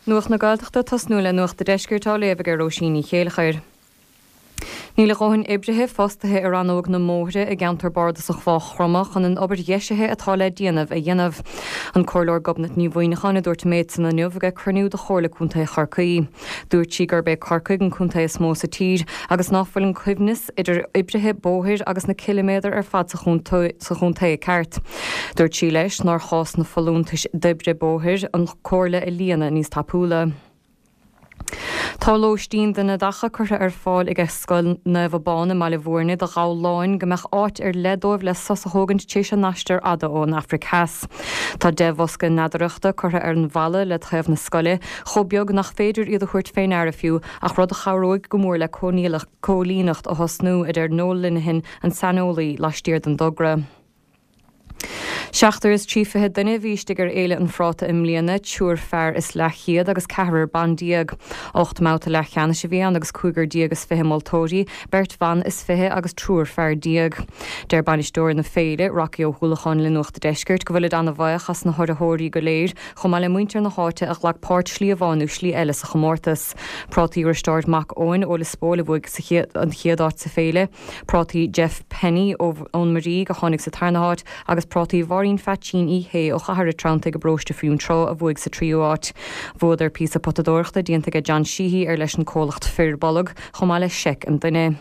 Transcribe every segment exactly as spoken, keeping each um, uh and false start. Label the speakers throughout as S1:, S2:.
S1: Nuacht na Gaeltachta ag tosnú le Nuacht an Deiscirt á léamh ag Róisín Ní Chéilleachair. Níl a dhóthain oibrithe fostaithe i rannóg na mbóithre i gceantar bardasach Mhaigh Chromtha chun an obair dheisithe atá le déanamh a dhéanamh. An Comhairleoir Gobnait Ní Mhuineacháin a dúirt an méid san inniu ag cruinniú de Chomhairle Contae Chorcaí. Dúirt sí gurb é Corcaigh an contae is mó sa tír agus ná fuil an coibhneas idir oibrithe bóthair agus na ciliméadair ar fad sa chontae ceart. Dúirt sí leis nár chás na folúntais d'oibrithe bóthair an chomhairle a líonadh níos tapúla. Tá lóistín do neadacha curtha ar fáil ag Scoil Naomh Abán i mBaile Bhúirne do ghabhláin go mbeadh áit ar leith dóibh le sos a thógaint tar éis a n-aistear fhada ón Afraic Theas. Tá deich bhosca neadaireachta curtha ar an bhalla le taobh na scoile, chomh beag nach féidir iad a thabhairt fé ndeara fiú, ach rud a chabhróidh go mór le cóilíneacht a thosnú, a deir Noel Linehan, an saineolaí laistiar den dtogra. Seachtar is trí fiche duine a bhí istigh ar Fhéile an Phráta i mbliana, triúr fear is leathchéad agus ceathrar ban déag. Ocht mbabhta leathcheannais a bhí ann agus cúigear déag is fiche moltóirí, beirt bhan is fiche agus triúr fear déag. Deir bainisteoir na féile, Rocky Ó hUallacháin le Nuacht an Deiscirt go bhfuilid ana-bhuíoch as na hurraitheoirí go léir, chomh maith le muintir na háite a ghlac páirt slí amháin nó slí eile sa chomórtas. Prátaí Risteárd Mac Eoin ó Lios Póil a bhuaigh an chéad áit sa féile, prátaí Jeff Penny ón Muirígh a tháinig sa tarna háit agus prátaí Mháirín Pheaitsín Uí Shé ó Chathair an Treanntaigh i bparóiste Fionntrá a bhuaigh sa tríú háit. Bhuadar píosa potadóireachta déanta ag John Sheehy ar leis an comhlacht Fir Bolg, chomh maith le seic an duine.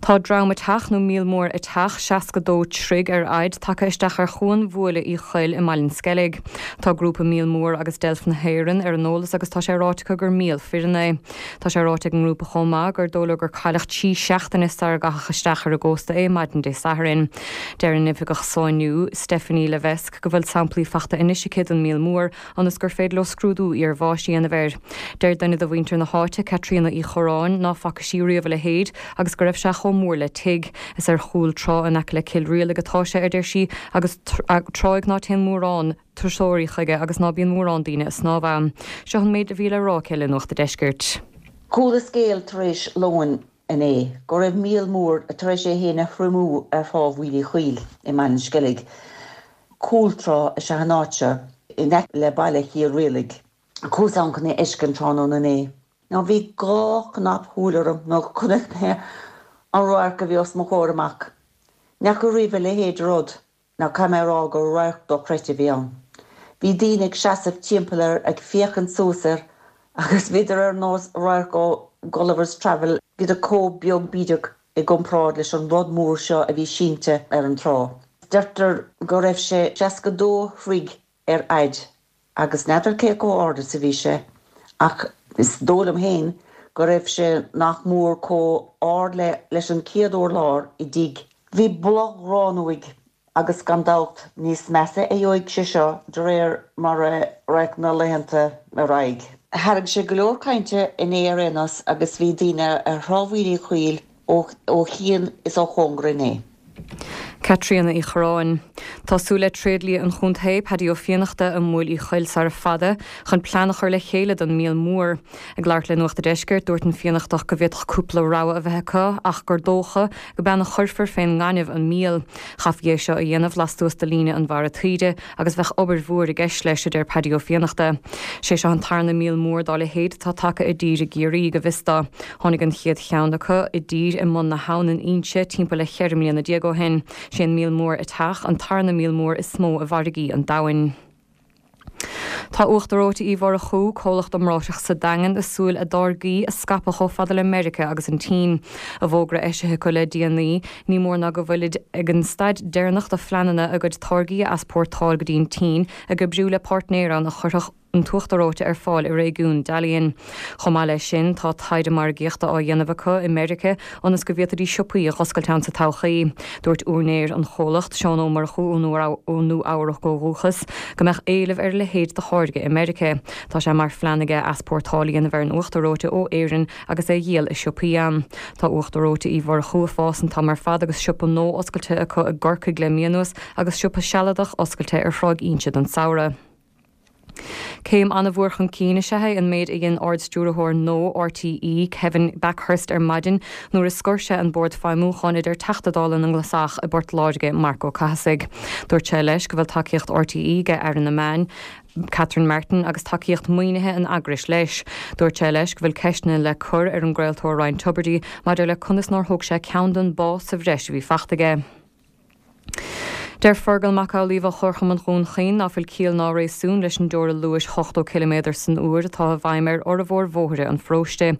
S1: Tá dram eiteach nó míol mór eiteach, seasca dó troigh ar fhaid, tagtha isteach ar chuan Bhuaile Uí Choill i mBaile an Sceilg. Tá grúpa Míol Mór agus Deilf na hÉireann ar an eolas agus tá sé ráite acu gur míol fireann é. Tá sé ráite ag an ngrúpa chomh maith gur dóigh leo gur cailleadh trí seachtaine sara gcaitheadh isteach ar an gcósta é maidin Dé Sathairn. Deir an Oifigeach Sáinniú, Stephanie Levesque, go bhfuil samplaí fachta anois aici den míol mór ionas gur féidir leo scrúdú iarbháis a dhéanamh air. Deir duine de mhuintir na háite, Caitríona Uí Chorráin, ná faca sí riamh a leithéid agus go raibh sé chomh mór le tigh. Is ar chúl trá in aice le Cill Rialaig atá sé, a deir sí, agus tráigh ná téann mórán turasóirí chuige agus ná bíonn mórán daoine ag snámh ann. Seo an méid a bhí le rá aici le Nuacht an Deiscirt.
S2: Chuala scéal tar éis lóin inné go raibh míol mór tar éis é féin a thriomú ar thrá Bhaile Uí Choill i mBaile an Sceilg. Cúltrá is ea an áit seo in aice le baile Chill Rialaig. Chuas ann chun é a fheiscint tráthnóna inné. Now bhí dhá chnap shúil orm nuair a chonaic mé an radharc a bhí os mo chomhair amach. Ní fhaca riamh a leithéid de rud, now caithfidh mé a rá gur radharc dochreidte a bhí ann. Bhí daoine ag seasamh timpeall air ag féachaint suas air agus bhíodar ar nós radharc ó Gulliver's Travel, bhíodar chomh beag bídeach i gcomparáid leis an rud mór seo a bhí sínte ar an trá. Deirtear go raibh sé seasca dó throigh ar fhaid agus n'fheadar cé chomh ard is a bhí sé ach is dóigh liom féin go raibh sé nach mór chomh ard le leis an chéad urlár i dtigh. Bhí boladh gránna uaidh agus gan dabht níos measa a gheobhaidh sé seo de réir mar a rachaidh na laethanta ar aghaidh. Tharraing sé go leor cainte inné ar aon nós agus bhí daoine ar Thrá Bhaile Uí Choill ó chian is ó chóngar inné.
S1: Caitríona Uí Chorráin. Tá súil le tréidlia an chontae, Paddy Ó Fiannachta, i mBaile Uí Choill sara fada, chun plean a chur le chéile don míol mór. Ag labhairt le Nuacht an Deiscirt, dúirt an Fiannachtach go bhféadfadh cúpla rogha a bheith acu ach gur dócha go b'ann a chuirfear fén ngaineamh an míol. Chaithfí é seo a dhéanamh lastuas de líne an bharra taoide agus bheadh obair mhór i gceist leis, a deir Paddy Ó Fiannachta. Sé seo an tarna míol mór dá leithéid atá tagtha i dtír i gCiarraí, go bhfios dó. Tháinig an chéad cheann acu i dtír i mbun na habhann in Inse timpeall le cheithre mbliana déag ó shin. Sé an míol mór eiteach an tarna míol mór is mó i bhfarraigí an domhain. Tá Uachtar Reoite Uí Mhurchú, comhlacht iomráiteach sa Daingean, ag súil a dtáirgí a scaipeadh chomh fada le Meiriceá agus an tSín. I bhfógra eisithe acu le déanaí, ní mór ná go bhfuilid ag an staid deireanach de phleananna a gcuid táirgí a easpórtáil go dtí an tSín, ag oibriú le páirtnéir ann a chuirfeadh an t-uachtar reoite ar fáil i réigiún Dalian. Chomh maith leis sin, tá taighde margaíochta á dhéanamh acu i Meiriceá ionas go bhféadfaidís siopaí a dh'oscailt ann sa todhchaí. Dúirt úinéir an chomhlacht, Seán Ó Murchú ó Nua-Eabhrac ó dhúchas, go mbeadh éileamh ar a leithéid de tháirge i Meiriceá. Tá sé mar phlean aige easpórtáil a dhéanamh ar an uachtar reoite ó Éirinn agus é a dhíol i siopaí ann. Tá uachtar reoite Uí Mhurchú ag fás an t-am ar fad agus siopa nua oscailte acu i gCorcaigh le mí anuas agus siopa sealadach oscailte ar Thráigh Inse don samhradh. Céim an-mhór chun cinn is ea é an méid a dhein Ard-Stiúrthóir nua RTÉ, Kevin Bakhurst ar maidin nuair a scoir sé an Bord Feidhmiúcháin a deir Teachta Dála na nGlasach i bPort Láirge, Marc Ó Cathasaigh. Dúirt sé leis go bhfuil tacaíocht RTÉ ag Aire na Meán, Catherine Martin agus tacaíocht maoinithe an eagrais leis. Dúirt sé leis go bhfuil ceisteanna le cur ar an gcraoltóir Ryan Tubridy maidir le conas nár thóg sé ceann den bpá sa bhreis a bhí fachta aige. Deir Fergal Mac Amhlaoibh ó Chomharchumann Dhún Chaoin ná fuil ciall ná réasún leis an dteora luais ochtó ciliméadar san uair atá i bhfeidhm ar fhormhór bhóithre an pharóiste.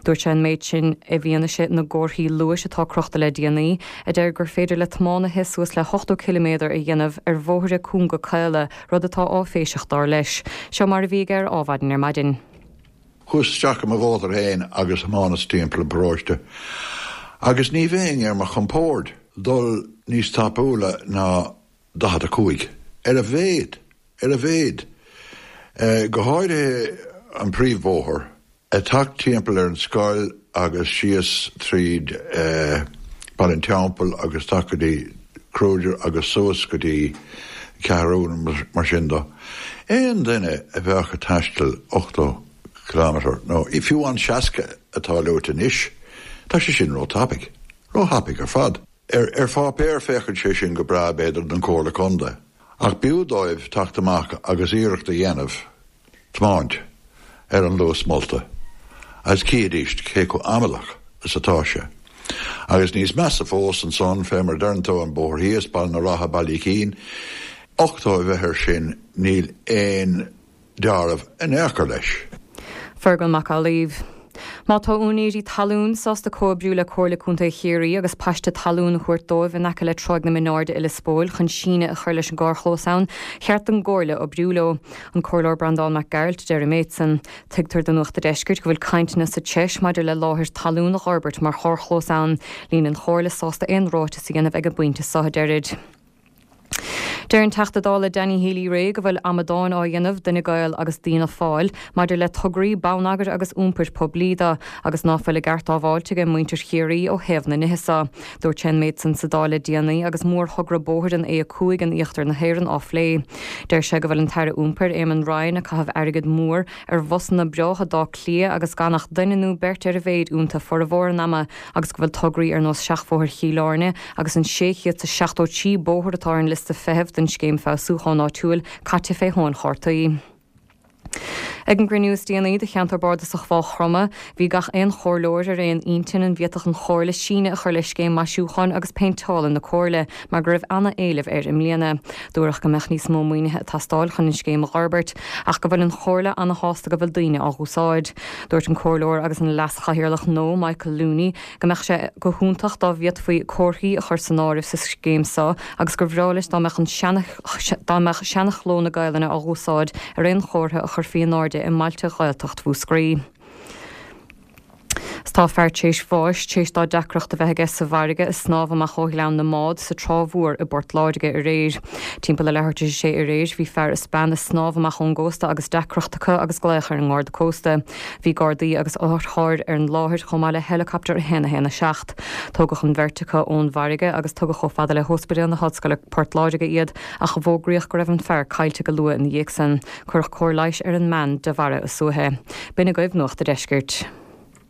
S1: Dúirt sé an méid sin i bhfianaise na gcomharthaí luais atá crochta le déanaí, a deir gur féidir le tiománaithe suas le hochtó ciliméadar a dhéanamh ar bhóithre cúnga caola, rud atá áiféiseach dar leis. Seo mar a bhí aige ar Adhmhaidin ar maidin.
S3: Chuas isteach i mo mhótar féin agus thiománas timpeall an pharóiste agus ní bheinn ar mo chompord dul níos tapúla ná daichead a cúig. Ar a mhéad, ar a mhéad. Go háirithe an príomhbhóthar, ag teacht timpeall ar an scoil agus síos tríd Baile an Teampaill agus isteach go dtí Kruger agus suas go dtí Ceathrún mar sin do. Aon duine a bheadh ag taisteal ochtó kilometre nó fiú an seasca atá luaite anois, tá sé sin ró-thapaidh. Ró-thapaidh ar fad. Ar ar pháipéar féachann sé sin go breá b'fhéidir don Chomhairle Contae, ach b'fhiú dóibh teacht amach agus iarracht a dhéanamh tiomáint ar an luas molta agus chífidís cé chomh amaideach is atá sé. Agus níos measa fós ansan, fé mar a deireann tú, an bóthar thíos, Baile na Rátha, Baile Uí Chaoin, ochtó a bheith air sin, níl aon dealramh in aon chor leis.
S1: Fergal Mac Amhlaoibh. Má tá úinéirí talún sásta comhoibriú le Comhairle Contae Chiarraí agus paiste talún a thabhairt dóibh in aice le Tráigh na Mionairde i Lios Póil chun síneadh a chur leis an gcarrchlós ann, cheart don gComhairle oibriú leo. An Comhairleoir Breandán Mac Gearailt a deir an méid san. Tuigtear do Nuacht a' Deiscirt go bhfuil cainteanna sa treis maidir le láthair talún a dh'fhorbairt mar charrchlós ann. Níl an Chomhairle sásta aon ráiteas a dhéanamh ag an bpointe seo, a deirid. Deir an Teachta Dála Danny Healy-Rae go bhfuil amadáin á dhéanamh d'Fhine Gael agus d'Fhianna Fáil maidir le tograí bonneagair agus iompair poiblí de agus ná fuil a gceart á bhfáilt aige muintir Chiarraí ó thaobh na nithe seo. Dúirt sé an méid san sa Dáil le déanaí agus mórthogra bóthair an A a cúig in íochtar na hÉireann á phlé. Deir sé go bhfuil an tAire Iompair Éamon Ryan ag caitheamh airgead mór ar bhusanna breátha d'Áth Cliath agus gan ach duine nó beirt ar a mhéid iontu formhór an ama agus go bhfuil tograí ar nós Seachbhóthar Chill Airne agus an sé chéad is seachtó trí bóthar atá ar an liosta feithimh don scéim feabhsúcháin áitiúil caite fé thóin chártaí. Ag an gcruinniú is déanaí de cheantar bardasach Mhaigh Chromtha, bhí gach aon chomhairleoir ar aon intinn an bhféadfadh an Chomhairle síneadh a chur le scéim maisiúcháin agus péinteála na Comhairle mar go raibh ana-éileamh air i mbliana. Dúradh go mbeadh níos mó maoinithe ag teastáil chun an scéim a dh'fhorbairt ach go bhfuil an Chomhairle ana-shásta go bhfuil daoine á dh'úsáid. Dúirt an Comhairleoir agus an Leas-Chathaoirleach nua, Michael Looney, go mbeadh sé go hiontach dá bhféadfaí comharthaí a chur san áireamh sa scéim seo agus gur bhreá leis dá mbeadh an dá mbeadh seana-chló na Gaelainne á dh'úsáid ar aon chomhartha a chuirfí in airde i mbailte Ghaeltacht Mhúscraí. 'S tá fear tréis bháis tréis dó deacracht a bheith aige sa bhfarraige ag snámh amach ó Ghleann na mBád sa Trá Mhór i bPort Láirge aréir. Timpeall a leathuair tar éis a sé aréir bhí fear is bean ag snámh amach ón gcósta agus deacracht acu agus glaoch ar an nGarda Cósta. Bhí Gardaí agus otharchairr ar an láthair chomh maith le heileacaptar a haon a haon a seacht. Tógadh an bheirt acu ón bhfarraige agus tugadh chomh fada le hOspidéal na hOllscoile Port Láirge iad ach fógraíodh go raibh an fear caillte go luath ina dhiaidh san. Cuireadh cóir leighis ar an mbean de bharra a suaithe. B'in agaibh Nuacht a' Deiscirt.